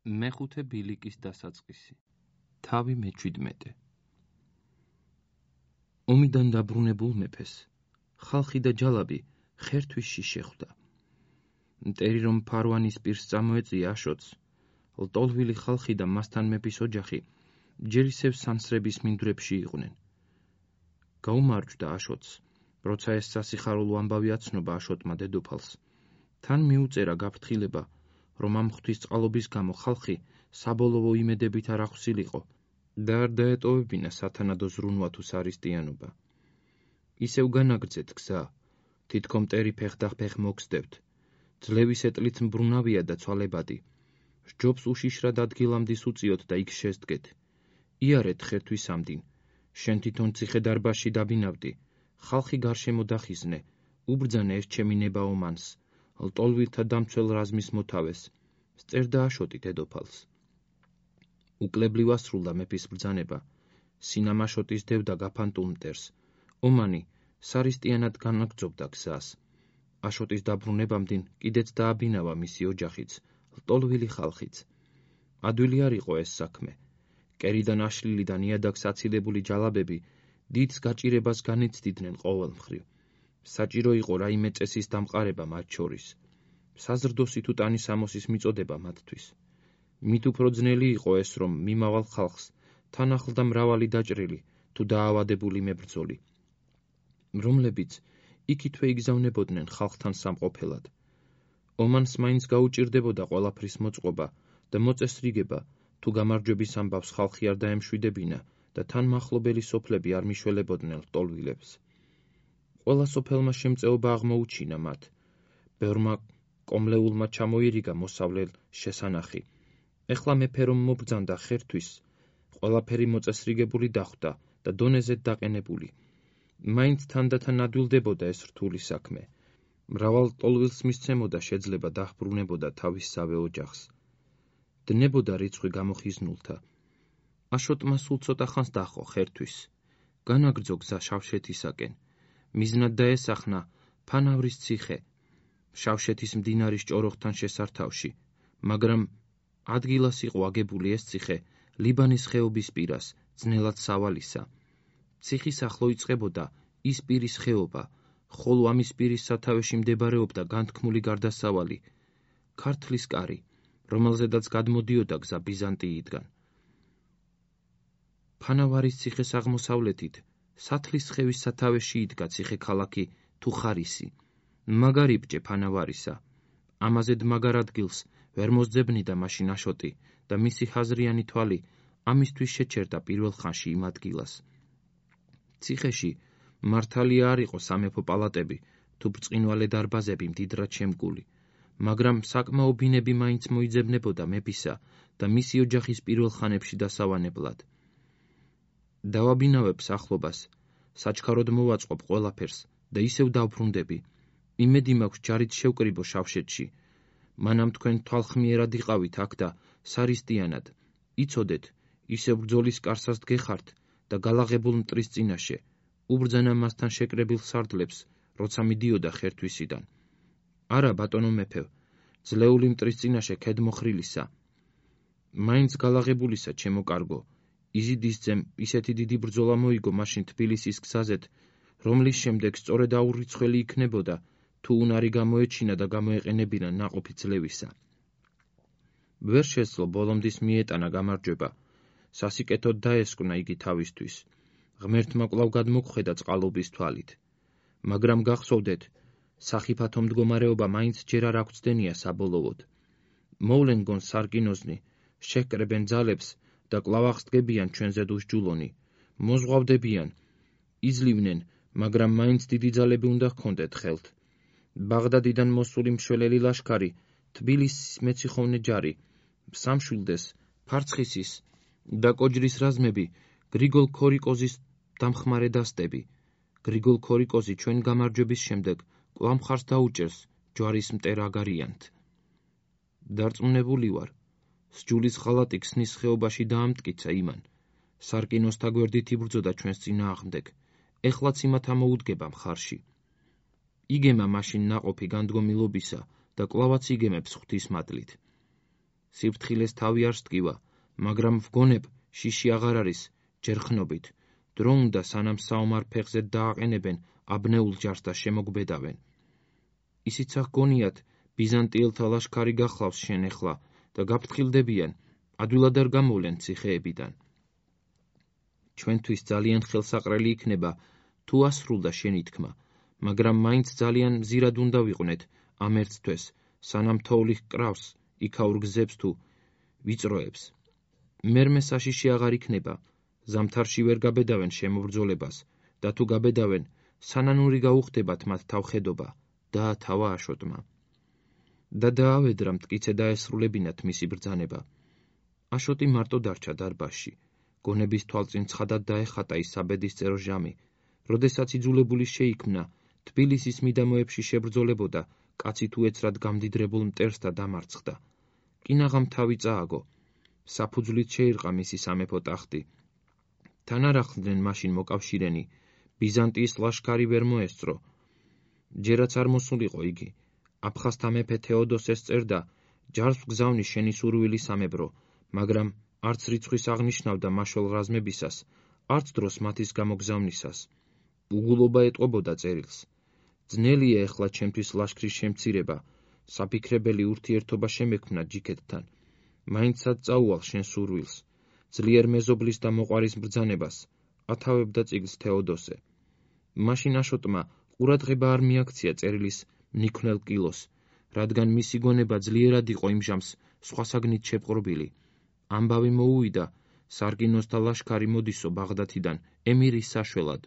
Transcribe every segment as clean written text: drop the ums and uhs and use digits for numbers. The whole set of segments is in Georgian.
მეხუთე ბილიკის დასაწყისი. თავი მე-17. ომიდან დაბრუნებულ მეფეს ხალხი და ჯალაბი ხერთვისში შეხვდა. მტერი რომ ფარვანის პირს წამოეწია აშოტს, ლტოლვილი ხალხი და მასთან მეფის ოჯახი ჯერ ისევ სანსრების მინდვრებში იყვნენ. გაუმარჯვდა აშოტს, როცა ეს სასიხარულო ამბავი აცნობა აშოტმა დედოფალს. თან მიუწერა გაფრთხილება, რომ ამ ღვთისწყალობის გამო ხალხი საბოლოო იმედებით არ ახვსილიყო და არ დაეტოვებინა სათანადო ზრუნვა თუ სარისტიანობა. ისევ განაგრძეთ გზა, თითქო მტერი ფეხ მოგსდევთ, ძლევის ეტლით მბრუნავია და ცვალებადი. სჯობს უშიშრად ადგილამდის უწიოთ და იქ შესდგეთ. იარეთ ხერთვის ამდინ, შენ თვითონ ციხე-დარბაზში დაბინავდი, ხალხი გარშემო დახიზნე, უბრძანე ეს ჩემი ნება ომანს, ლტოლვილთა დამცველ რაზმის მოთავეს, სწერდა აშოტი დედოფალს. უკლებლივ ასრულდა მეფის ბრძანება, სინამაშოტის დევდა გაფანტულ მტერს, ომანი სარისტიანად განაგრძობდა გზას. აშოტის დაბრუნებამდინ კიდეც დააბინავა მისი ოჯახიც, ლტოლვილი ხალხიც. ადვილი არ იყო ეს საქმე. კერიდან აშლილი და ნიადაგს აცილებული ჯალაბები დიდს გაჭირებას განიცდიდნენ ყოველ მხრივ. საჭირო იყო რაიმე წესის დამყარება მათ შორის. საზრდოსი თუ ტანისამოსის მიწოდება მათთვის. მით უფრო ძნელი იყო ეს, რომ მიმავალ ხალხს თან ახლდა მრავალი დაჭრილი თუ დაავადებული მებრძოლი, რომლებიც იქითვე იგზავნებოდნენ ხალხთან სამყოფელად. ომანს მაინც გაუჭირდებოდა ყველაფრის მოწყობა და მოწესრიგება, თუ გამარჯვების ამბავს ხალხი არ დაემშვიდებინა და თან მახლობელი სოფლები არ მიშველებოდნენ ლტოლვილებს. ყველა სოფელმა შემწეობა აღმოუჩინა მათ. ბევრმა კომლეულმა ჩამოირიგა მოსავლელ შესანახი. ეხლა მეფე რომ მობრძანდა ხერთვის, ყველაფერი მოწესრიგებული დახვდა და დონეზე დაყენებული. მაინც თანდათან ადვილდებოდა ეს რთული საქმე. მრავალ ლტოლვილს მისცემოდა შეძლება დაჰბრუნებოდა თავისსავე ოჯახს. დნებოდა რიცხვი გამოხიზნულთა. აშოტმა სულ ცოტა ხანს დაჰყო ხერთვის. განაგრძო გზა შავშეთისაკენ. მიზნად დაესახნა ფანავრის ციხე, შავშეთის მდინარის ჭოროხთან შესართავში, მაგრამ ადგილას იყო აგებული ეს ციხე ლიბანის ხეობის პირას, ძნელად სავალისა. ციხის ახლო იწყებოდა ის პირის ხეობა, ხოლო ამის პირის სათავეში მდებარეობდა განთქმული გარდასავალი, ქართლის კარი, რომელზედაც გადმოდიოდა გზა ბიზანტიიდან. ფანავარის ციხეს აღმოსავლეთით სათლის ხევის სათავეში იდგა ციხე-ქალაქი თუხარისი. მაგარი ბჭე ფანავარისა. ამაზედ მაგარ ადგილს ვერ მოსძებნიდა მაშინ აშოტი და მისი ხაზრიანი თვალი ამისთვის შეჩერდა პირველ ხანში იმ ადგილას. ციხეში მართალია არ იყო სამეფო პალატები თუ ბრწყინვალე დარბაზები მდიდრად შემკული, მაგრამ საკმაო ბინები მაინც მოიძებნებოდა მეფისა და მისი ოჯახის პირველ ხანებში დასავანებლად. დავაბინავებ სახლობას, საჩქაროდ მოვაწყობ ყველაფერს და ისევ დავბრუნდები. იმედი მაქვს ჯარით შევკრიბო შავშეთში. მანამ თქვენ თვალხმიერად იყავით აქ და სარისტიანად. იცოდეთ, ისევ ბრძოლის კარსას დგეხართ და გალაღებულ მტრის წინაშე. უბრძანა მასთან შეკრებილ სარდლებს, როცა მიდიოდა ხერთვისიდან. არა, ბატონო მეფევ, ძლეული მტრის წინაშე ქედმოხრილისა. მაინც გალაღებულისა, ჩემო კარგო. იზიდისძემ ისეთი დიდი ბრძოლა მოიგო მაშინ თბილისის გზაზეთ, რომლის შემდეგ სწორედ აურიცხველი იქნებოდა, თუ უნარი გამოეჩინა და გამოეყენებინა ნაყოფი ძლევისა. ვერ შეძლო ბოლომდის მიეტანა გამარჯვება. სასიკეთოდ დაესკვნა იგი თავისთვის. ღმერთმა კვლავ გადმოგხვედა წყალობის თვალით. მაგრამ გახსოვდეთ, სახიფათო მდგომარეობა მაინც ჯერ არ აღწდენია საბოლოოდ. მოვლენ გონ სარკინოზნი, შეჰკრებენ ძალებს და კვლავ აღსდგებიან ჩვენზე დუსჯულონი. მოზღვავდებიან, იძლივნენ, მაგრამ მაინც დიდი ძალები უნდა ჰქონდეთ ხელთ. ბაღდადიდან მოსული მშველელი ლაშქარი, თბილისის მეციხოვნე ჯარი, სამშვილდეს, ფარცხისის და კოჯრის რაზმები, გრიგოლ ქორიკოზის დამხმარე დასტები. გრიგოლ ქორიკოზი ჩვენ გამარჯვების შემდეგ კვლავ მხარს დაუჭერს ჯვარის მტერ აგარიანთ. დარწმუნებული ვარ, სჯულის ღალატი ქსნის ხეობაში დაამტკიცა იმან. სარკინოსთა გვერდით იბრძოდა ჩვენს წინააღმდეგ. ეხლაც იმათ ამოუდგება მხარში. იგემა მაშინ ნაყოფი განდგომილობისა და კვლავაც იგემებს ღვთის მადლით. სიფრთხილეს თავი არ სტკივა, მაგრამ ვგონებ, შიში აღარ არის, ჯერ ხნობით. დრო უნდა სანამ საომარ ფეხზე დააყენებენ აბნეულ ჯარს და შემოგბედავენ. ისიც აღგონიათ, ბიზანტიელთა ლაშქარი გახლავს შენ ეხლა და გაფრთხილდებიან, ადვილად არ გამოვლენ ციხეებიდან. ჩვენთვის ძალიან ხელსაყრელი იქნება, თუ ასრულდა შენი თქმა, მაგრამ მაინც ძალიან მზირად უნდა ვიყვნეთ ამ ერთ თვეს, სანამ თოვლი ჰკრავს იქაურ გზებს თუ ვიწროებს. მერმე საშიში აღარ იქნება, ზამთარში ვერ გაბედავენ შემობრძოლებას და თუ გაბედავენ, სანანური გაუხდებათ მათ თავხედობა, დაათავა აშოტმა. და დაავედრა მტკიცე დაესრულებინათ მისი ბრძანება. აშოტი მარტო დარჩა დარბაზში, გონების თვალწინ ცხადად დაეხატა ის საბედისწერო ჟამი, როდესაც იძულებული შეიქმნა, თბილისის მიდამოებში შებრძოლებოდა, კაცი თუ ეცრად გამდიდრებულ მტერს და დამარცხდა. კინაღამ თავი წააგო, საფუძვლით შეირყა მისი სამეფო ტახტი. თან არ ახლდნენ მაშინ მოკავშირენი, ბიზანტიის ლაშქარი ვერ მოესწრო. ჯერაც არ მოსულიყო იგი. აფხაზთა მეფე თეოდოსეს წერდა, ჯარს ვგზავნის შენი სურვილი სამებრო, მაგრამ არც რიცხვის აღნიშნავდა მაშველ რაზმებისას, არც დროს მათის გამოგზავნისას. უგულობა ეტყობოდა წერილს. ძნელია ეხლა ჩემთვის ლაშქრის შემცირება, საფიქრებელი ურთიერთობა შემექმნა ჯიქეთთან. მაინცად წაუვალ შენ სურვილს, ძლიერ მეზობლის და მოყვარის ბრძანებას, ათავებდა წიგნს თეოდოსე. მაშინ აშოტმა ყურადღება არ მიაქცია წერილის მნიქმნელ კილოს, რადგან მისი გონება ძლიერად იყო იმ ჟამს სხვა საგნით შეპყრობილი. ამბავი მოუვიდა, სარკინოსთა ლაშქარი მოდისო ბაღდათიდან ემირის საშველად.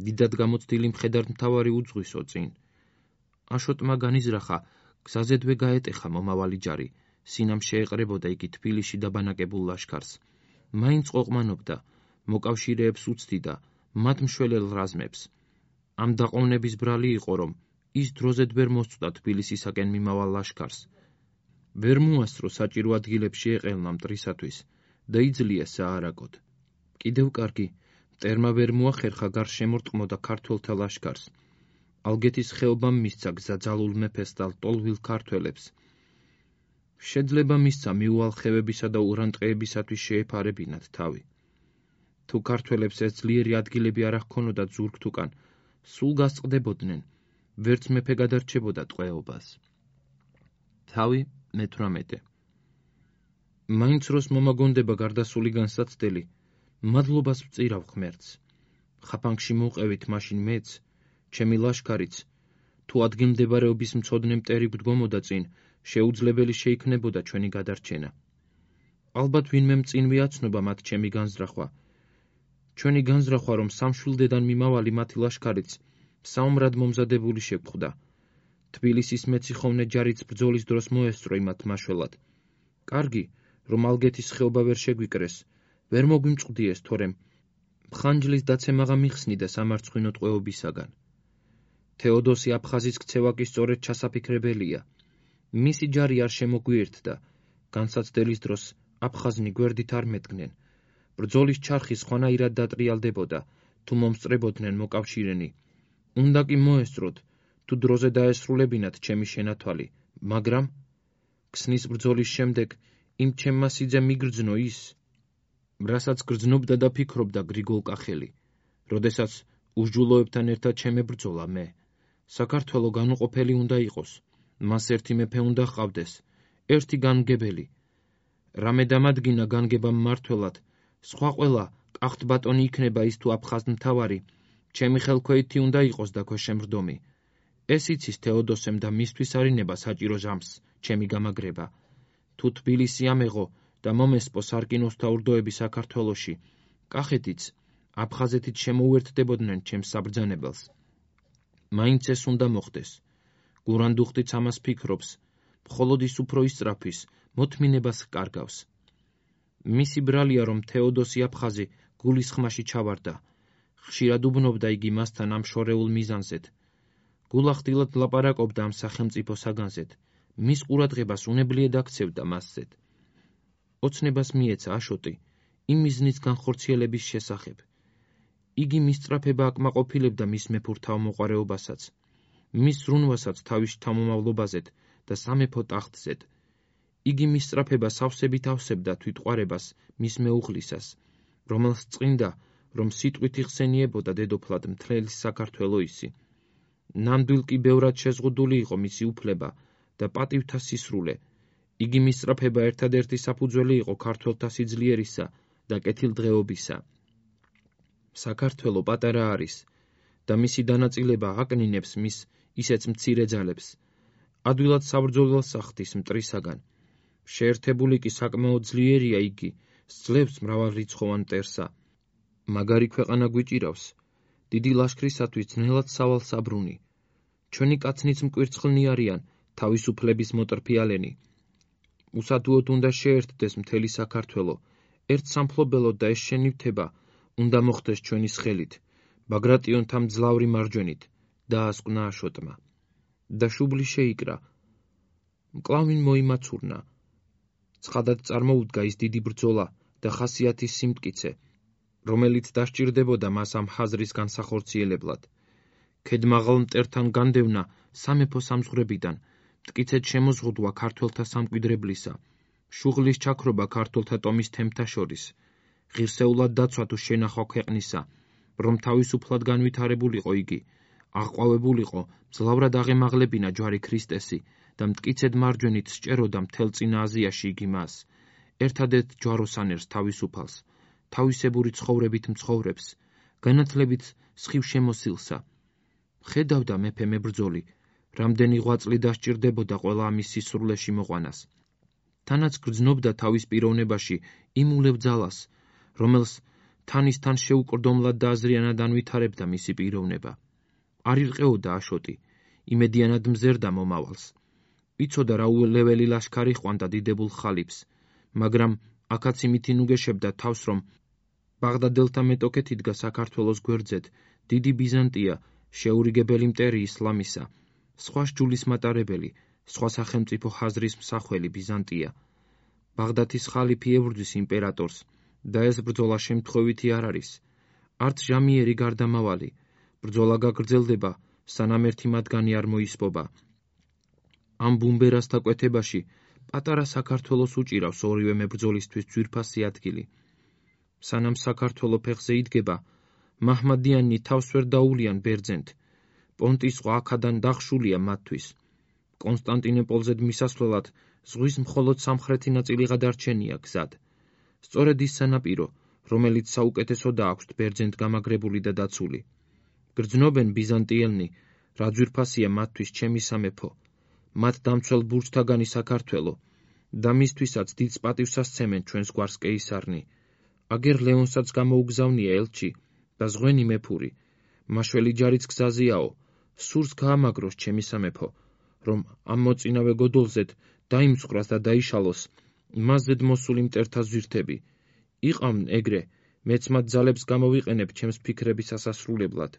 დიდად გამოცდილი მხედართმთავარი უძღვისო წინ. აშოტმა განიზრახა, გზაზედვე გაეტეხა მომავალი ჯარი, სინამ შეეყრებოდა იგი თბილისში დაბანაკებულ ლაშქარს. მაინც ყოყმანობდა, მოკავშირეებს უცდიდა, მათ მშველელ რაზმებს. ამ დაყოვნების ბრალი იყო, რომ ის დროზედ ვერ მოსწვდა თბილისისაკენ მიმავალ ლაშქარს. ვერ მოასწრო საჭირო ადგილებში ეყელნა მტრისათვის და იძლია საარაგოდ. კიდევ კარგი, მტერმა ვერ მოახერხა გარშემორტყმოდა ქართველთა ლაშქარს. ალგეთის ხეობამ მისცა გზა ძალულ მეფეს და ლტოლვილ ქართველებს. შეძლება მისცა მიუვალხევებისა და ურანტყეებისათვის შეეფარებინათ თავი. თუ ქართველებს ეს ძლიერი ადგილები არ ახქონოდათ ზურგთუკან, სულ გასწყდებოდნენ, ვერც მეფე გადარჩებოდა ტყვეობას. თავი მე-18. მაინც როს მომაგონდება გარდასული განსაცდელი, მადლობას ვწირავ ღმერთს. ხაფანგში მოვყევით მაშინ მეც, ჩემი ლაშქარიც, თუ ადგილმდებარეობის მცოდნე მტერი გვდგომოდა წინ, შეუძლებელი შეიქნებოდა ჩვენი გადარჩენა. ალბათ ვინმე მწინვე აცნობა მათ ჩემი განზრახვა. ჩვენი განზრახვა, რომ სამშვილდედან მიმავალი მათი ლაშქარიც საომრად მომზადებული შეგვხვდა. თბილისის მეციხოვნე ჯარიც ბრძოლის დროს მოესწრო იმათ მაშველად. კარგი, რომ ალგეთის ხეობა ვერ შეგვიკრეს, ვერ მოგვიმწყდიეს, თორემ მხანჯლის დაცემაღა მიხსნიდა სამარცხვინო ტყვეობისაგან. თეოდოსი აფხაზის ქცევა კი სწორედ ჩასაფიქრებელია. მისი ჯარი არ შემოგვიერთდა, განსაცდელის დროს აფხაზნი გვერდით არ მედგნენ. ბრძოლის ჩარხი სხვანაირად დატრიალდებოდა, თუ მომსწრებოდნენ მოკავშირენი. უნდა კი მოესწროთ, თუ დროზე დაესრულებინათ ჩემი შენათვალი, მაგრამ ქსნის ბრძოლის შემდეგ იმ ჩემმა სიძე მიგრძნო ის, რასაც გრძნობდა და ფიქრობდა გრიგოლ კახელი, როდესაც უსჯულოებთან ერთად შემებრძოლა მე. საქართველო განუყოფელი უნდა იყოს, მას ერთი მეფე უნდა ჰყავდეს, ერთი განმგებელი. რამე დამადგინა განგება მმართველად, სხვა ყველა კახთ ბატონი იქნება ის თუ აფხაზმთავარი, ჩემი ხელქვეითი უნდა იყოს და ქვეშემრდომი. ეს იცის თეოდოსემ და მისთვის არინება საჭირო ჟამს, ჩემი გამაგრება. თუ თბილისი ამეღო და მომესპო სარკინოსთა ურდოები საქართველოში, კახეთიც, აფხაზეთიც შემოუერთდებოდნენ ჩემს საბრძანებელს. მაინც ეს უნდა მოხდეს. გურანდუხტიც ამას ფიქრობს, მხოლოდ ის უფრო ისწრაფვის, მოთმინებას კარგავს. მისი ბრალია, რომ თეოდოსი აფხაზი გულის ხმაში ჩავარდა. ხშირად უბნობდა იგი მასთან ამ შორეულ მიზანზედ. გულახდილად ლაპარაკობდა ამ სახელმწიფო საგანზედ, მის ყურადღებას უნებლიედ აქცევდა მასზედ. ოცნებას მიეცა აშოტი, იმ მიზნის განხორციელების შესახებ. იგი მისწრაფება აკმაყოფილებდა მის მეფურ თავმოყარეობასაც, მის ზრუნვასაც თავის შთამომავლობაზედ და სამეფო ტახტზედ. იგი მის სწრაფებას ავსებით ავსებდა თვითყვარებას მის მეუღლისას, რომელს წინდა, რომ სიტყვით იხსენიებოდა დედოფლად მთელი საქართველო ისი. ნამდვილ კი ბევრად შეზღუდული იყო მისი უფლება და პატივთა სისრულე. იგი მის სწრაფება ერთადერთი საფუძველი იყო ქართველთა სიძლიერისა და კეთილდღეობისა. საქართველო პატარა არის და მისი დანაწილება აკნინებს მის ისეც მცირე ძალებს. ადვილად საბრძოლველს ახდის მტრისაგან. შეერთებული კი საკმაოდ ძლიერია იგი, სძლევს მრავალრიცხოვან მტერსა. მაგარი ქვეყანა გვიჭირავს, დიდი ლაშქრისათვის ძნელად სავალ საბრუნი. ჩვენი კაცნიც მკვირცხლნი არიან, თავისუფლების მოტრფიალენი. უსადუოდ უნდა შეერთდეს მთელი საქართველო, ერთ სამფლობელოდ და ეს შენივთება უნდა მოხდეს ჩვენის ხელით, ბაგრატიონთა მძლავრი მარჯვენით, დაასკვნა აშოტმა. და შუბლი შეიკრა. მკლავინ მოიმაცურნა. ცხადად წარმოუდგა ის დიდი ბრძოლა და ხასიათის სიმტკიცე, რომელიც დასჭირდებოდა მას ამ ხაზრის განსახორციელებლად. ქედმაღალ მტერთან განდევნა სამეფო სამზღვრებიდან, მტკიცედ შემოზღუდვა ქართველთა სამკვიდრებლისა, შუღლის ჩაქრობა ქართველთა ტომის თემთა შორის, ღირსეულად დაცვა თუ შენახვა ქვეყნისა, რომ თავისუფლად განვითარებულიყო იგი, აღყვავებულიყო მძლავრად აღემაღლებინა ჯვარი ქრისტესი და მტკიცედ მარჯვენით სჭეროდა მთელ წინა აზიაში იგი მას, ერთადერთ ჯვაროსანერს თავისუფალს, თავისებური ცხოვრებით მცხოვრებს, განათლებით სხივ შემოსილსა. ხედავდა მეფე მებრძოლი, რამდენი ღვაწლი დასჭირდებოდა ყველა ამის სისრულეში მოყვანას. თანაც გრძნობდა თავის პიროვნებაში იმ ულევ ძალას, რომელს თანისთან შეუკრდომლად და აზრიანად ანვითარებდა მისი პიროვნება. არ ირყეოდა აშოტი, იმედიანად მზერდა მომავალს. იცოდა რა ულეველი ლაშქარი ჰყვანდა დიდებულ ხალიფს, მაგრამ აქაც იმით ინუგეშებდა თავს, რომ ბაღდადელთა მეტოქეთ იდგა საქართველოს გვერდზედ დიდი ბიზანტია, შეურიგებელი მტერი ისლამისა, სხვა სჯულის მატარებელი, სხვა სახელმწიფო ხაზრის მსახველი ბიზანტია. ბაღდათის ხალიფი ებრძვის იმპერატორს და ეს ბრძოლა შემთხვევითი არ არის. არც ჟამიერი გარდამავალი. ბრძოლა გაგრძელდება, სანამ ერთი მათგანი არ მოისპობა. ამ ბუმბერასთა კვეთებაში პატარა საქართველოს უჭირავს ორივე მებრძოლისთვის ძვირფასი ადგილი. სანამ საქართველო ფეხზე იდგება, მაჰმადიანნი თავს ვერ დაულიან ბერძენთ. პონტის ზღვა აქედან დახშულია მათთვის. კონსტანტინოპოლზე მისასვლელად ზღვის მხოლოდ სამხრეთი ნაწილი გადარჩენია გზად. სწორედ ის სანაპირო, რომელიც საუკეთესოდაა აქვთ ბერძენთ გამაგრებული და დაცული. გრძნობენ ბიზანტიელნი, რა ძვირფასია მათთვის ჩემი სამეფო, მათ დამცველ ბურჯთაგანი საქართველო და მისთვისაც დიდ პატივს ასცემენ ჩვენს გვარს კეისარნი. აგერ ლეონსაც გამოუგზავნია ელჩი და ზღვენი მეფური, მაშველი ჯარიც გზაზიაო, სურს გაამაგროს ჩემი სამეფო, რომ ამ მოწინავე გოდოლზედ დაიმსხვრას და დაიშალოს მასზედ მოსული მტერთა ზვირთები. იყამნ ეგრე, მეც მათ ძალებს გამოვიყენებ ჩემს ფიქრების ასასრულებლად.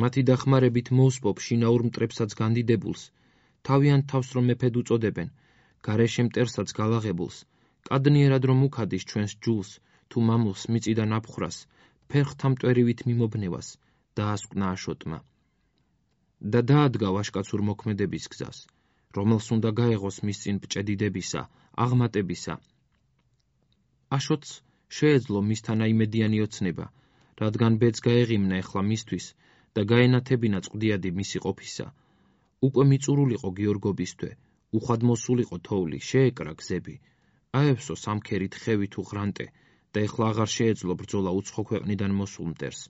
მათი დახმარებით მოусპობ შინაურ მტრებსაც განდიდებულს, თავიანთ თავს რომ მეფედ უწოდებენ, გარეშე მტერსაც გალაღებულს, კადნიერად რომ უქადის ჩვენს ჯულს, თუ მამულს მიწიდან აფხრას, ფერხთა მტვერივით მიმობნევას, დაასკვნა აშოტმა. და დაადგა ვაშკაცურ მოქმედების გზას, რომელს უნდა გაეღოს მის წინ ბჭედიდებისა, აღმატებისა. აშოტს შეეძლო მისთან აიმედიანი ოცნება, რადგან ბედს გაეღიმნა ეხლა მისთვის და გაენათებინა წყვდიადი მისი ყოფისა. უკვე მიწურულიყო გიორგობისთვე, უხვად მოსულიყო თოვლი, შეეკრა გზები, აევსო სამქერით ხევი თუ ღრანტე და ეხლა აღარ შეეძლო ბრძოლა უცხო ქვეყნიდან მოსულ მტერს.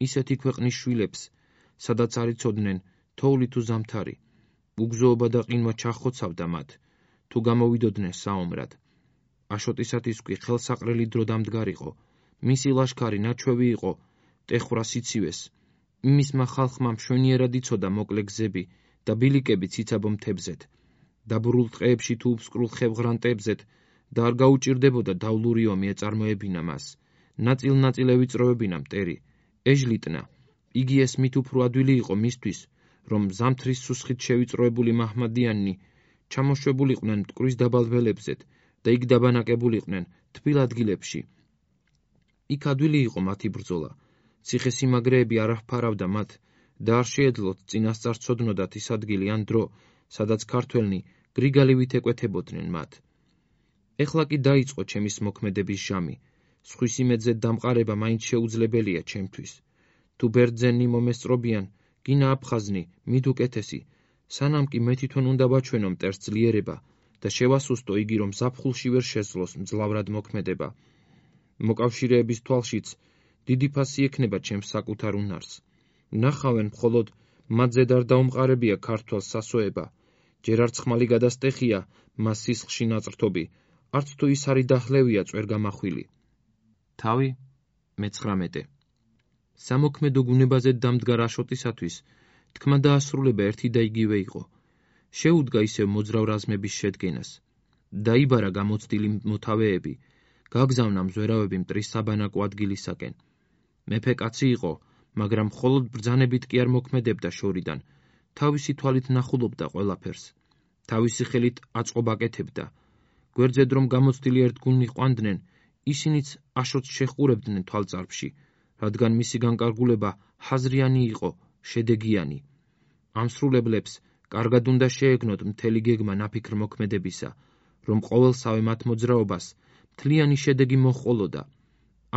ისეთი ქვეყნის შვილებს, სადაც არ იცოდნენ თოვლი თუ ზამთარი, უგზოობა და ყინვა ჩახოცავდა მათ, თუ გამოვიდოდნენ საომრად. აშოტისათვის კი ხელსაყრელი დრო დამდგარიყო, მისი ლაშქარი ნაჩვევი იყო ტეხრა სიცივეს, მისმა ხალხმა მშვენიერად იცოდა მოკლე გზები და ბილიკები ციცაბო მთებზეთ, დაბურულ ტყეებში თუ უბსკრულ ხევღრანტებზეთ და არ გაუჭირდებოდა დავლური ომი ეწარმოებინა მას, ნაწილ-ნაწილ ევიწროებინა მტერი, ეჟლიტნა, იგი ეს მით უფრო ადვილი იყო მისთვის, რომ ზამთრის სუსხით შევიწროებული მაჰმადიანნი ჩამოშვებულიყვნენ მტკვრის დაბალველებზეთ და იქ დაბანაკებულიყვნენ თბილ ადგილებში. იქ ადვილი იყო მათი ბრძოლა, ციხესიმაგრეები არ აღფარავდა მათ და არ შეეძლოთ წინასწარ ცოდნოდათ ის ადგილი ან დრო, სადაც ქართველნი გრიგალივით ეკვეთებოდნენ მათ. ეხლა კი დაიწყო ჩემის მოქმედების ჟამი. სხვის იმედზე დამყარება მაინც შეუძლებელია ჩემთვის. თუ ბერძენი მომესწრობიან, გინა აფხაზნი, მით უკეთესი, სანამ კი მე თვითონ უნდა ვაჩვენო მტერს ძლიერება და შევასუსტო იგი, რომ ზაფხულში ვერ შეძლოს მძლავრად მოქმედება. მოკავშირეების თვალშიც დიდი ფასი ექნება ჩემს საკუთარ უნარს. ნახავენ მხოლოდ მათზე არ დაუმყარებია ქართველს სასოება. ჯერ არც ხმალი გადასტეხია მას სისხლში ნაწრთობი, არც თუ ის არის დახლევია წვერ გამახვილი. თავი 19. სამოქმედო გუნებაზე დამდგარ აშოტისათვის თქმა დაასრულება ერთი და იგივე იყო. შეუდგა ისევ მოძრავ რაზმების შედგენას. დაიბარა გამოცდილი მოთავეები, გაგზავნა მზვერავები მტრის საბანაკო ადგილისაკენ. მეფე კაცი იყო, მაგრამ მხოლოდ ბრძანებით კი არ მოქმედებდა შორიდან. თავისი თვალით ნახულობდა ყველაფერს. თავისი ხელით აწყობა აკეთებდა. გვერდზედ რომ გამოცდილი ერთგულნი ყვანდნენ, ისინიც აშოტს შეჰყურებდნენ თვალწარფში, რადგან მისი განკარგულება ჰაზრიანი იყო, შედეგიანი. ამ სრულებლებს კარგად უნდა შეეგნოთ მთელი გეგმა ნაფიქრ მოქმედებისა, რომ ყოველსავე მათ მოძრაობას მთლიანი შედეგი მოჰყოლოდა.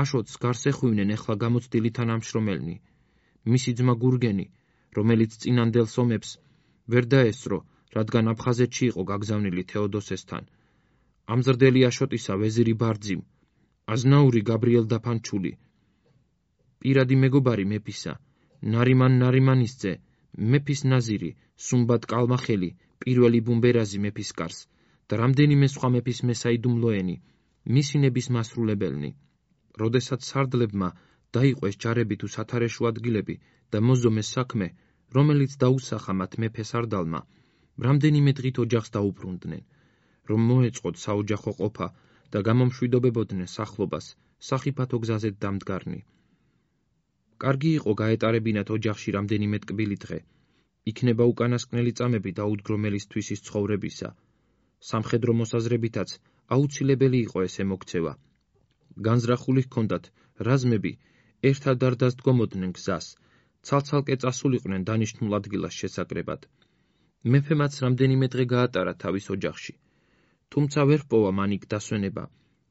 აშოტს გარს ეხვივნენ ეხლა გამოცდილი თანამშრომელნი. მისი ძმა გურგენი, რომელიც წინანდელს ომებს ვერ დაესწრო, რადგან აფხაზეთში იყო გაგზავნილი თეოდოსესთან. ამზრდელი აშოტისა ვეზირი ბარძიმ, აზნაური გაბრიელ დაფანჩული, პირადი მეგობარი მეფისა, ნარიმან ნარიმანისძე, მეფის ნაზირი, სუმბად კალმახელი, პირველი ბუმბერაზი მეფის კარს და რამდენიმე სხვა მეფის მესაიდუმლოენი, მისინების მასრულებელნი. როდესაც სარდლებმა დაიყვეს ჯარები თუ სათარეშო ადგილები და მოზომეს საქმე, რომელიც დაუსახა მათ მეფე სარდალმა, რამდენიმე დღით ოჯახს დაუბრუნდნენ, რომ მოეწყოთ საოჯახო ყოფა და გამომშვიდობებოდნენ სახლობას, სახიფათო გზაზე დამდგარნი. კარგი იყო გაეტარებინათ ოჯახში რამდენიმე ტკბილი დღე. იქნება უკანასკნელი წამები დაუდგრომელისთვის ის ცხოვრებისა. სამხედრო მოსაზრებითაც აუცილებელი იყო ესე მოქცევა. განზრახული ჰქონდათ რაზმები, ერთად არ დასდგომოდნენ გზას, ცალ-ცალკე წასულიყვნენ დანიშნულ ადგილას შესაკრებად. მეფე მათ რამდენიმე დღე გაატარა თავის ოჯახში. თუმცა ვერ ჰპოვა მან იქ დასვენება,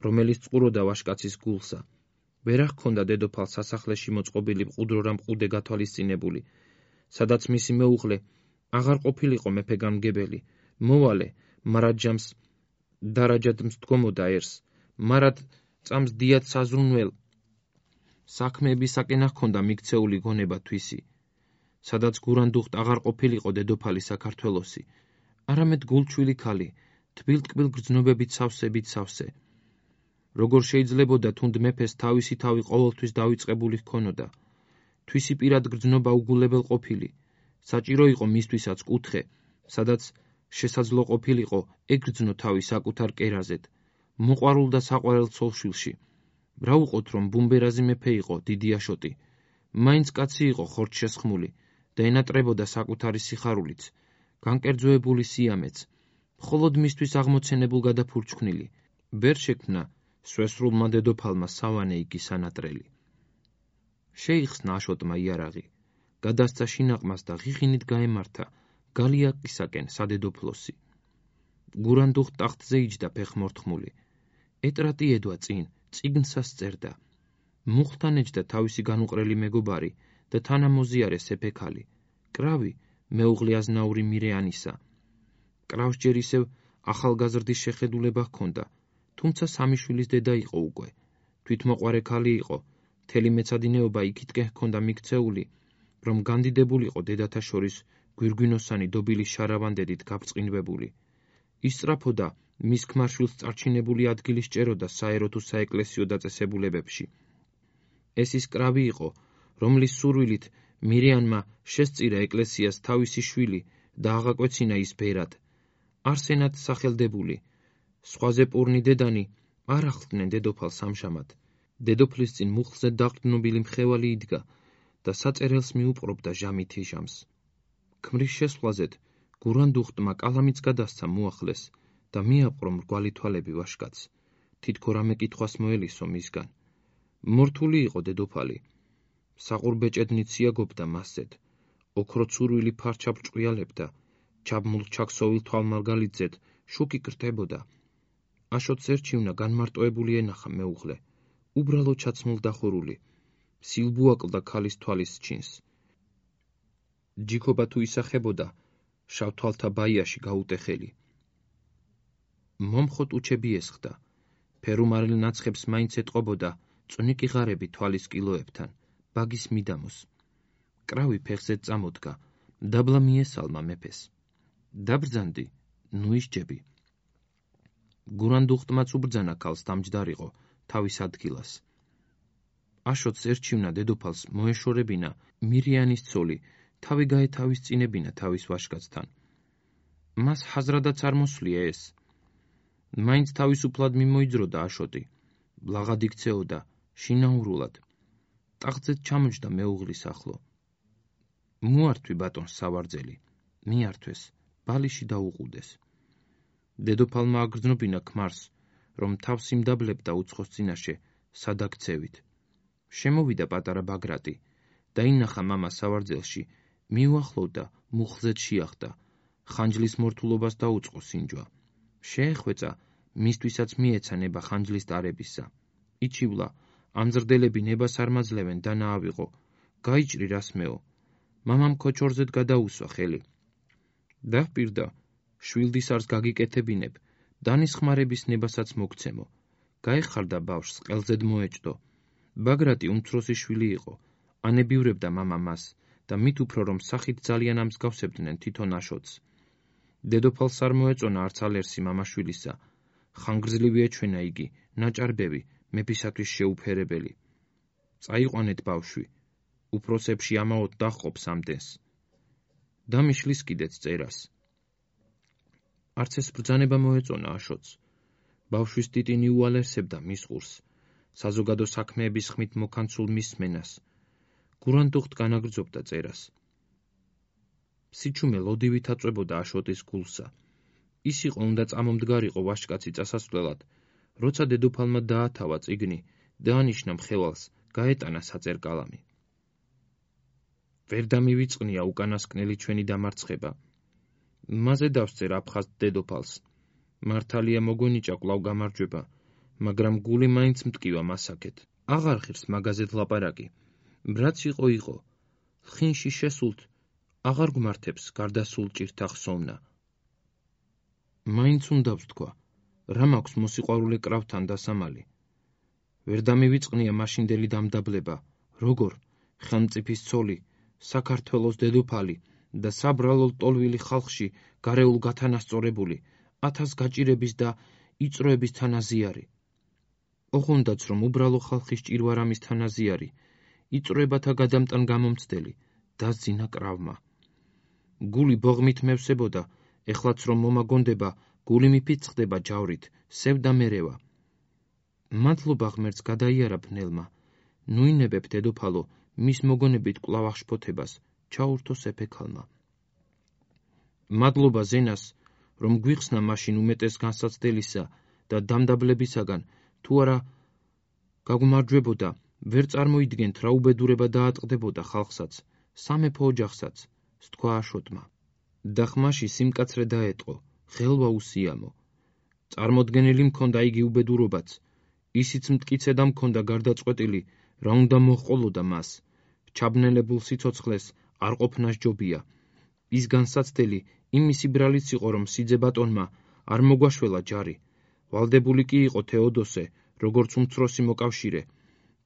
რომელიც წყუროდა ვაშკაცის გულსა. ვერ ჰქონდა დედოფალს სასახლეში მოწყობილი მყუდრო რა მყუდე გათვალისწინებული, სადაც მისი მეუღლე აღარ ყოფილიყო მეფეგანგებელი, მოვალე მარაჯამს დარაჯად მსდგომოდა ერს, მარად წამს დიად საზრუნველ საქმეებისაკენ ჰქონდა მიქცეული გონება თვისი, სადაც გურანდუხტ აღარ ყოფილიყო დედოფალი საქართველოსი, არამედ გულჩვილი ქალი, თბილ-ტკბილ გრძნობებით სავსე. როგორ შეიძლებოდა თუნდ მეფეს თავისი თავი ყოველთვის დავიწყებული ჰქონოდა. თვისი პირად გრძნობა უგულებელ ყოფილი, საჭირო იყო მისთვისაც კუთხე, სადაც შესაძლო ყოფილიყო ეგრძნო თავი საკუთარ კერაზედ, მოყვარულ და საყვარელ ცოლშვილში. რა უყოთ, რომ ბუმბერაზი მეფე იყო დიდი აშოტი, მაინც კაცი იყო ხორცშესხმული და ენატრებოდა საკუთარი სიხარულიც, განკერძოებული სიამეც, მხოლოდ მისთვის აღმოცენებულ გადაფურჩქნილი, ვერ შექმნა სვესრულმა დედოფალმა სავანე იგი სანატრელი. შეიხსნა აშოტმა იარაღი, გადასცა შინაყმას და ღიღინით გაემართა გალიაკისაკენ სადედოფლოსი. გურანდუხ ტახტზე იჯდა ფეხმორთხმული, ეტრატი ედვა წინ, წიგნსას წერდა. მუხთან ეჯდა თავისი განუყრელი მეგობარი და თანამოზიარე სეფექალი, კრავი მეუღლე აზნაური მირეანისა. კრავს ჯერ ისევ ახალგაზრდის შეხედულება ჰქონდა, თუმცა სამი შვილის დედა იყო უკვე. თვითმოყვარე ქალი იყო, მთელი მეცადინეობა იქითკენ ჰქონდა მიქცეული, რომ განდიდებულიყო დედათა შორის გვირგვინოსანი დობილის შარავანდედით გაბრწყინვებული. ისწრაფოდა მის ქმარშვილს წარჩინებული ადგილი სჭეროდა საერო თუ საეკლესიო დაწესებულებებში. ეს ის კრავი იყო, რომლის სურვილით მირეანმა შესწირა ეკლესიას თავისი შვილი და აღაკვეცინა ის ბერად. არსენად სახელდებული, სხვაზე პურნი დედანი არ ახლდნენ დედოფალს ამჟამად. დედოფლის წინ მუხლზე დაყრდნობილი მხევალი იდგა და საწერელს მიუპყრობდა ჟამითი ჟამს. ქმრის შესვლაზედ გურანდუხტმა კალამიც გადასცა მოახლეს და მიაპყრო მრგვალი თვალები ვაშკაცს, თითქო რამე კითხვას მოელისო მისგან. მორთული იყო დედოფალი, საყურბეჭედნით სიაგობდა მასზედ, ოქროცურვილი ფარჩა ბრჭყიალებდა, ჩაბმულ ჩაქსოვილ თვალმარგალიძედ შუქი კრტებოდა. აშოტს ერჩივნა განმარტოებული ენახა მეუღლე, უბრალო ჩაცმულ დახურული, სილბუაკლდა ქალის თვალის ჩინს. ჯიქობა თუ ისახებოდა, შავ თვალთა ბაიაში გაუტეხელი. მომხოთ უჩები ესხდა, ფერუმარილ ნაცხებს მაინც ეტყობოდა წვნიკი ღარები თვალის კილოებთან, ბაგის მიდამოს. კრავი ფეხზე წამოდგა, დაბლა მიესალმა მეფეს. დაბრძანდი, ნუ ისჯები. გურანდუხტმაც უბრძანა ქალს დამჯდარიყო თავის ადგილას. აშოტს ერჩივნა დედოფალს მოეშორებინა მირიანის ცოლი, თავი გაეთავისწინებინა თავის ვაჟკაცთან. მას ჰაზრადაც არ მოსვლია ეს. მაინც თავისუფლად მიმოიძროდა აშოტი, ბლაღად იქცეოდა, შინაურულად. ტახტზეც ჩამოჯდა მეუღლის ახლო. მოართვი ბატონს სავარძელი, მიართვეს, ბალიში დაუყუდეს. დედოფალმა აგრძნობინა ქმარს, რომ თავს იმდაბლებდა უცხოს წინაშე, სადაქცევით. შემოვიდა პატარა ბაგრატი, დაინახა მამა სავარძელში, მიუახლოვდა, მუხლზეც შეახდა, ხანჯლის მორთულობას დაუწყო სინჯვა. შეეხვეწა, მისთვისაც მიეცა ნება ხანჯლის ტარებისა. იჩივლა, ამზრდელები ნებას არ მაძლევენ და ნაავიღო, გაიჭრი რასმეო. მამამ ქოჩორზედ გადაუსვა ხელი. დაჰპირდა, შვილდისარს გაგიკეთებინებ, დანისხმარების ნებასაც მოგცემო. გაეხარდა ბავშვს, ყელზედ მოეჭდო. ბაგრატი უმცროსი შვილი იყო, ანებიურებდა მამა მას და მით უფრო რომ სახით ძალიან ამსგავსებდნენ თვითონ აშოტს. დედოფალს არ მოეწონა არც ალერსი მამაშვილისა. ხანგრძლივი ეჩვენა იგი, ნაჭარბევი, მეფისათვის შეუფერებელი. წაიყვანეთ ბავშვი, უფროსებში ამაოდ დაჰყოფს ამდენს. დამიშლის კიდეც წერას. არც ეს ბრძანება მოეწონა აშოტს. ბავშვის ტიტინი უალერსებდა მის ყურს, საზოგადო საქმეების ხმით მოკანცულ მისმენას. გურანდუხტ განაგრძობდა წერას. სიჩუმე ლოდივით აწვებოდა აშოტის გულსა. ის იყო უნდა წამომდგარიყო ვაჟკაცი წასასვლელად, როცა დედოფალმა დაათავა წიგნი, დაანიშნა მხევალს, გაეტანა საწერკალამი. ვერ დამივიწყნია უკანასკნელი ჩვენი დამარცხება. მასზე დავსწერ აფხაზ დედოფალს. მართალია მოგონიჭა კვლავ გამარჯვება, მაგრამ გული მაინც მტკივა მასაკეთ. აღარ ღირს მაგაზეთ ლაპარაკი. ბრაც იყო, ხინში შესულთ, აღარ გმართებს გარდასულ ჭირთა ხსოვნა. მაინც უნდა ვთქვა, რა მაქვს მოსიყვარულე კრავთან დასამალი. ვერ დამივიწყნია მაშინდელი დამდაბლება, როგორ ხელმწიფის ცოლი, საქართველოს დედოფალი და საბრალო ლტოლვილი ხალხში გარეულ გათანასწორებული, 1000 გაჭირების და იწროების თანაზიარი. ოღონდაც რომ უბრალო ხალხის ჭირვარამის თანაზიარი, იწროებათა გადამტან გამომცდელი, დასძინა კრავმა. გული ბოღმით მევსებოდა, ეხლაც რომ მომაგონდება, გული მიფიცხდება ჯავრით, სევდა მერევა. მადლობა ღმერთს გადაიარა ბნელმა, ნუინებებ დედოფალო, მის მოგონებით კვლავ აღშფოთებას, ჩაურთო სეფექალმა. მადლობა ზენას, რომ გვიხსნა მაშინ უმეტეს განსაცდელისა და დამდაბლებისაგან, თუ არა გაგმარჯვებოდა, ვერ წარმოიდგენთ რა უბედურება დაატყდებოდა ხალხსაც, სამეფო ოჯახსაც, სთქვა აშოტმა. და ხმაში სიმკაცრე დაეტყო, ხელვა უსიამო. წარმოდგენილი მქონდა იგი უბედურობაც, ისიც მტკიცე და მქონდა გარდაწყვეტილი, რა უნდა მოჰყოლოდა მას. ჩაბნელებულ სიცოცხლეს არ ყოფნა სჯობია. ის განსაცდელი იმისი ბრალიც იყო, რომ სიძე ბატონმა არ მოგვაშველა ჯარი. ვალდებული კი იყო თეოდოსე, როგორც უმცროსი მოკავშირე.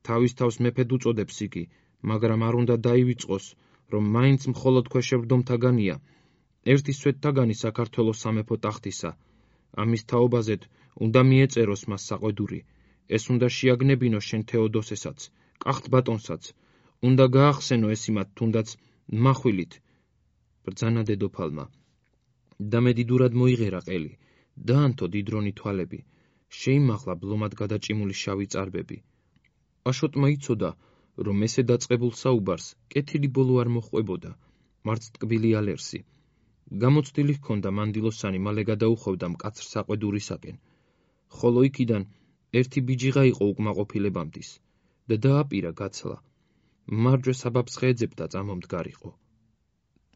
თავის თავს მეფედ უწოდებს იგი, მაგრამ არ უნდა დაივიწყოს, რომ მაინც მხოლოდ ქვეშევრდომთაგანია, ერთი სვეტთაგანი საქართველოს სამეფო ტახტისა. ამის თაობაზედ უნდა მიეწეროს მას საყვედური. ეს უნდა შეაგნებინო შენ თეოდოსესაც, კახთ ბატონსაც, უნდა გაახსენო ეს იმათ თუნდაც მახვილით. ბრძანა დედოფალმა. და მედიდურად მოიღერა ყელი, დაანთო დიდრონი თვალები, შეიმაღლა ბლომად გადაჭიმული შავი წარბები. აშოტმა იცოდა, რომ ესე დაწყებულ საუბარს კეთილი ბოლო არ მოჰყვებოდა, მარც ტკბილი ალერსი. გამოცდილი ჰქონდა მანდილოსანი მალე გადაუხვევდა მკაცრ საყვედურისაკენ, ხოლო იქიდან ერთი ბიჯიღა იყო უკმაყოფილებამდის და დააპირა გაცლა. მარჯვე საბაბს ხეეძებდა წამომდგარიყო.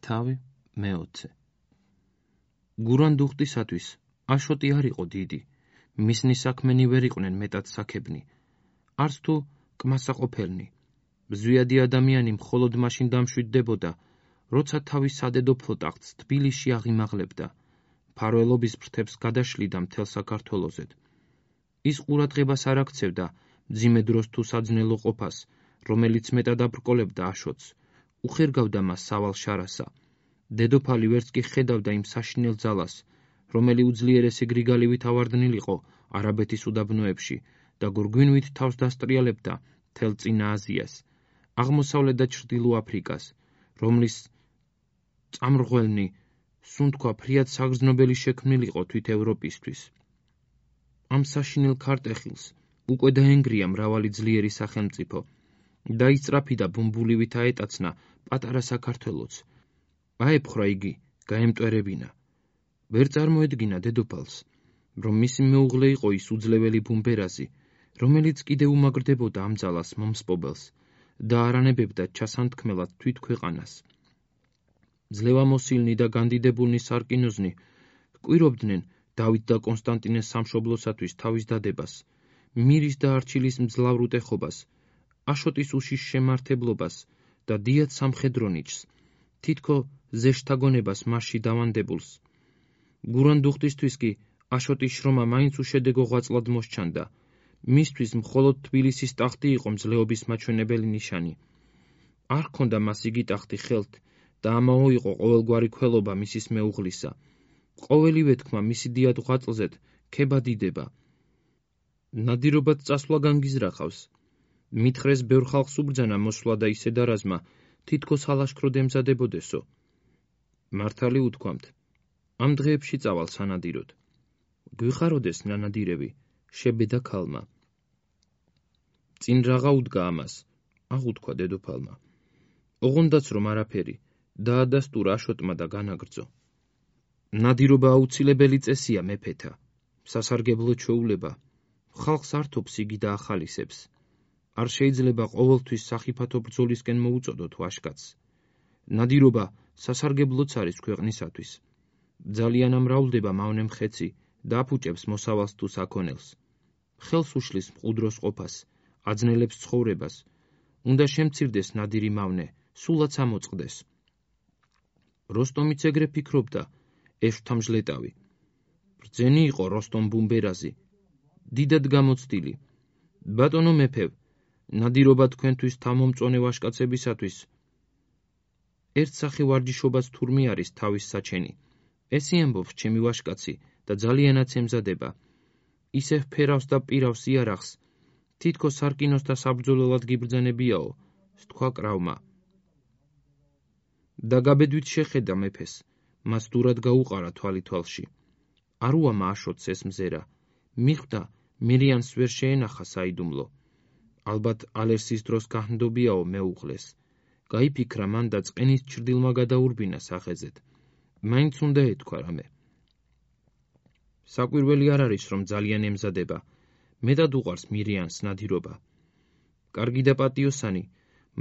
თავი მე-20 გურანდუხტისათვის აშოტი არ იყო დიდი, მისნი საქმენი ვერ იყვნენ მეტად საქებნი, არც თუ კმასაყოფელნი. ზვიადი ადამიანი მხოლოდ მაშინ დამშვიდდებოდა, როცა თავის სადედოფლო ტახტს თბილისში აღიმაღლებდა, მფარველობის ფრთებს გადაშლიდა მთელ საქართველოსზე. ის ყურადღებას არ აქცევდა მძიმე დროს თუ საძნელო ყოფას, რომელიც მეტად აბრკოლებდა აშოტს, უხერგავდა მას სავალ შარასა. დედოფალი ვერც კი ხედავდა იმ საშინელ ძალას, რომელი უძლიერესი გრიგალივით ავარდნილიყო არაბეთის უდაბნოებში და გურგვინვით თავს დასტრიალებდა მთელ წინა აზიას, აღმოსავლეთ და ჩრდილო აფრიკას, რომლის წამრღველნი სუნთქვა ფრიად საგრძნობელი შექმნილიყო თვით ევროპისთვის. ამ საშინელ ქარტეხილს უკვე დაენგრია მრავალი ძლიერი სახელმწიფო და ისწრაფი და ბუმბულივით აეტაცნა პატარა საქართველოც. აეფხრა იგი, გაემტვერებინა. ვერ წარმოედგინა დედოფალს, რომ მისი მეუღლე იყო ის უძლეველი ბუმბერაზი, რომელიც კიდე უმაგრდებოდა ამ ძალას მომსპობელს და არანებებდა ჩასანთქმელად თვით ქვეყანას. ძლევამოსილნი და განდიდებულნი სარკინოზნი კვირობდნენ დავით და კონსტანტინეს სამშობლოსათვის თავის დადებას, მირის და არჩილის მძლავრ უტეხობას, აშოტის უშიშ შემართებლობას და დიად სამხედრო ნიჭს, თითქო ზეშთაგონებას მასში დავანდებულს. გურანდუხტისთვის კი აშოტის შრომა მაინც უშედეგო ღვაწლად მოსჩანდა. მისთვის მხოლოდ თბილისის ტახტი იყო მძლეობის მაჩვენებელი ნიშანი. არ ჰქონდა მას იგი ტახტი ხელთ და ამაო იყო ყოველგვარი ქველობა მისის მეუღლისა. ყოველივე თქმა მისი დიად ღვაწლზედ ქება დიდება. ნადირობად წასვლა განგიზრახავს. მითხრეს ბევრ ხალხს უბრძანა მოსვლა და ისე დარაზმა, თითქოს ალაშქროდ ემზადებოდესო. მართალი უთქვამთ, ამ დღეებში წავალ სანადიროდ. გვიხაროდეს ნანადირები, შებედა ქალმა. წინ რაღა უდგა ამას, აღუთქვა დედოფალმა. ოღონდაც რომ არაფერი, დაადასტურა აშოტმა და განაგრძო. ნადირობა აუცილებელი წესია მეფეთა, სასარგებლო ჩვეულება, ხალხს ართობს იგი და ახალისებს. არ შეიძლება ყოველთვის სახიფათო ბრძოლისკენ მოუწოდოთ ვაშკაცს. ნადირობა სასარგებლოც არის ქვეყნისათვის. ძალიან ამრავლდება მავნე მხეცი და აფუჭებს მოსავალს თუ საქონელს. ხელს უშლის მყუდროს ყოფას, აძნელებს ცხოვრებას. უნდა შემცირდეს ნადირი მავნე, სულაც ამოწყდეს. როსტომიც ეგრე ფიქრობდა, ეშვთამჟლეტავი. ბრძენი იყო როსტომ ბუმბერაზი, დიდად გამოცდილი. ბატონო მეფევ, ნადირობა თქვენთვის თავმომწონე ვაშკაცებისათვის ერთსახე ვარჯიშობაც თურმე არის თავის საჩენი. ესე ამბობს ჩემი ვაშკაცი და ძალიანაც ემზადება. ისევ ფერავს და პირავს იარაღს, თითქოს სარკინოს და საბრძოლველად გიბრძანებიაო, სთქვა კრავმა. და გაბედვით შეხედა მეფეს, მას დურად გაუყარა თვალი თვალში. არ უამა აშოტს ეს მზერა, მიხვდა მირიანს ვერ შეენახა საიდუმლო. ალბათ ალერსის დროს გაჰნდობიაო მეუღლეს. გაიფიქრა მან და წყენის ჩრდილმა გადაურბინა სახეზედ. მაინც უნდა ეთქვა რამე. საკვირველი არ არის, რომ ძალიან ემზადება. მეტად უყვარს მირიანს ნადირობა. კარგი და პატიოსანი,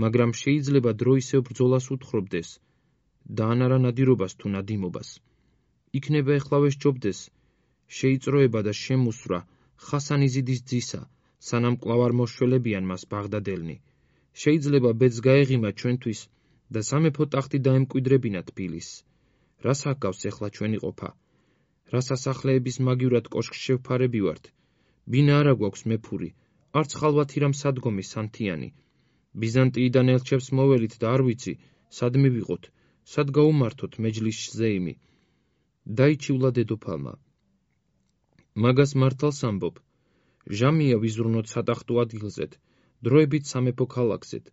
მაგრამ შეიძლება დრო ისევ ბრძოლას უთხრობდეს და ანარა ნადირობას თუ ნადიმობას. იქნება ეხლავე სჯობდეს შეიწროება და შემუსვრა ხასანიზიდის ძისა, სანამ კვლავ არ მოშველებიან მას ბაღდადელნი. შეიძლება ბედს გაეღიმა ჩვენთვის და სამეფო ტახტი დაემკვიდრებინა თბილისს. რას აკავს ეხლა ჩვენი ყოფა? რა სასახლეების მაგივრად კოშკს შევფარები ვართ? ბინა არა გვაქვს მეფური, არც ხალვათი რამ სადგომი სანთიანი. ბიზანტიიდან ელჩებს მოველით და არ ვიცი, სად მივიღოთ, სად გაუმართოთ მეჯლის ზეიმი. დაიჩივლა დედოფალმა. მაგას მართალს ამბობ. ჟამია ვიზრუნოთ სატახტო ადგილზეთ, დროებით სამეფო ქალაქზეთ,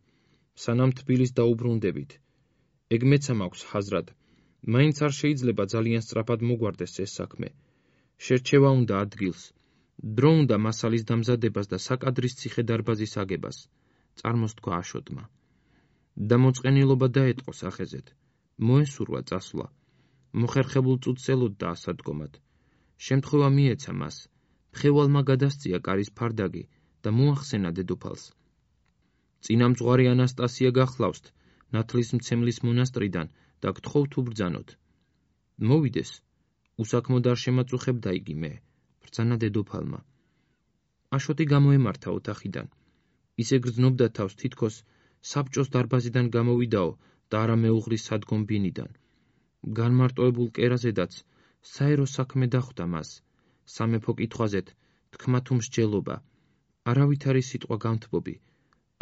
სანამ თბილის დაუბრუნდებით. ეგ მეცა მაქვს ჰაზრად, მაინც არ შეიძლება ძალიან სწრაფად მოგვარდეს ეს საქმე. შერჩევა უნდა ადგილს, დრო უნდა მასალის დამზადებას და საკადრის ციხე-დარბაზის აგებას, წარმოსთქვა აშოტმა. და მოწყენილობა დაეტყო სახეზეთ. მოესურვა წასვლა. მოხერხებულ წუთს ელოდდა ასადგომად. შემთხვევა მიეცა მას. მხევალმა გადასწია კარის ფარდაგი და მოახსენა დედოფალს. წინამძღვარი ანასტასია გახლავსთ ნათლისმცემლის მონასტრიდან და გთხოვთ უბრძანოთ. მოვიდეს, უსაქმოდ არ შემაწუხებდა იგი მე, ბრძანა დედოფალმა. აშოტი გამოემართა ოთახიდან. ისე გრძნობდა თავს, თითქოს საბჭოს დარბაზიდან გამოვიდაო და არა მეუღლის სადგომ ბინიდან. განმარტოებულ კერაზედაც საერო საქმე დახვდა მას. სამეფო კითხვაზეთ თქმა თუ მსჯელობა, არავითარი სიტყვა განთბობი,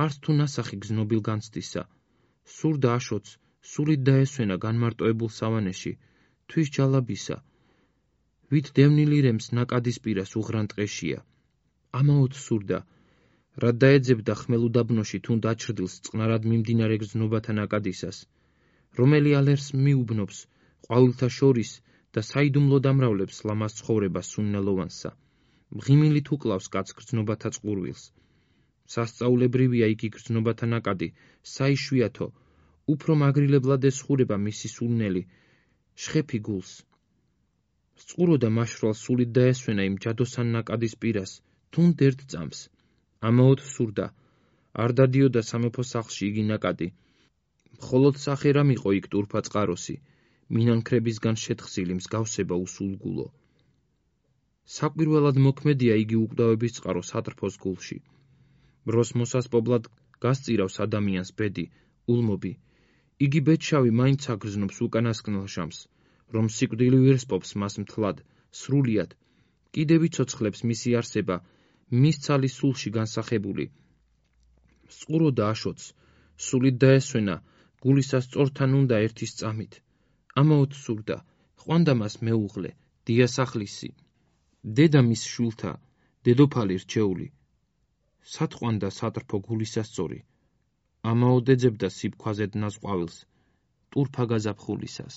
არც თუ ნასახი გზნობილ განცდისა. სურდა აშოტს სულით დაესვენა განმარტოებულ სავანეში, თვის ჯალაბისა. ვით დევნილი რემს ნაკადის პირას უღრან ტყეშია. ამაოდ სურდა, რად დაეძებდა ხმელუდაბნოში თუ დაჩრდილს წყნარად მიმდინარე გზნობათა ნაკადისას, რომელი ალერს მიუბნობს ყვავილთა შორის და საიდუმლოდ ამრავლებს ლამაზ ცხოვრებას სუნნელოვანსა. მღიმილით უკლავს კაცს გრძნობათა წყურვილს. სასწაულებრივია იგი გრძნობათა ნაკადი, საიშვიათო, უფრო მაგრილებლად ესხურება მისი სულნელი, შხეფი გულს. სწყურო და მაშრალ სულით დაესვენა იმ ჯადოსან ნაკადის პირას, თუნდ ერთ წამს. ამაოდ სურდა, არ დადიოდა სამეფო სახლში იგი ნაკადი. მხოლოდ სახე რა მიყო იქ ტურფა წყაროსი, მინანქრებისგან შეთხსილი მსგავსება უსულგულო. საკვირველად მოქმედია იგი უკვდავების წყარო სატრფოს გულში. ბროს მოსასპობლად გასწირავს ადამიანს ბედი, ულმობი. იგი ბედშავი მაინც აგრძნობს უკანასკნელ ჟამს, რომ სიკვდილი ვირსპობს მას მთლად, სრულიად. კიდევ იცოცხლებს მისი არსება, მის ცალის სულში განსახებული. სწყუროდა აშოტს, სულით დაესვენა, გულისა სწორთან უნდა ერთის წამით. ამაოდ სურდა, ყვანდა მას მეუღლე, დიასახლისი. დედა მის შვილთა, დედოფალი რჩეული. სათყვანდა სატრფო გულისასწორი. ამაოდ ეძებდა სიბქვაზე დნას ყვავილს, ტურფა გაზაფხულისას.